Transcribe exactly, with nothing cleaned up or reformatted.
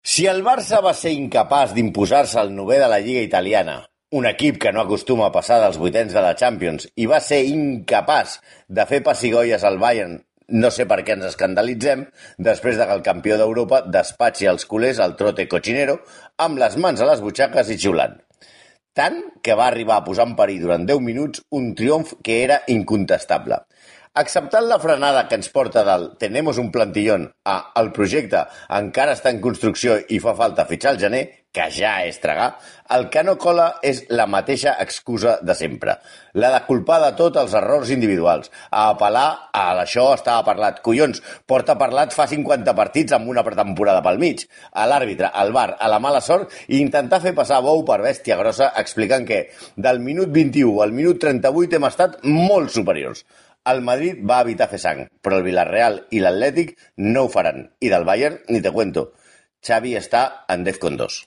Si el Barça va ser incapaç d'imposar-se al novè de la Lliga italiana, un equip que no acostuma a passar dels vuitens de la Champions, i va ser incapaç de fer pessigolles al Bayern, no sé per què ens escandalitzem, després de que el campió d'Europa despatxi els culers al trote cochinero amb les mans a les butxaques i xiulant. Tant que va arribar a posar en perill durant deu minuts un triomf que era incontestable. Acceptant la frenada que ens porta del «tenemos un plantillón» a «el projecte encara està en construcció i fa falta fitxar al gener», que ja és tragar, el que no cola és la mateixa excusa de sempre, la de culpar de tot els errors individuals, a apel·lar a «això estava parlat». Collons, porta parlat fa cinquanta partits amb una pretemporada pel mig, a l'àrbitre, al V A R, a la mala sort i intentar fer passar bou per bèstia grossa explicant que del minut vint-i-u al minut trenta-vuit hem estat molt superiors. El Madrid va evitar fer sang, però el Villarreal i l'Atlètic no ho faran. I del Bayern, ni te cuento. Xavi està en Defcon dos.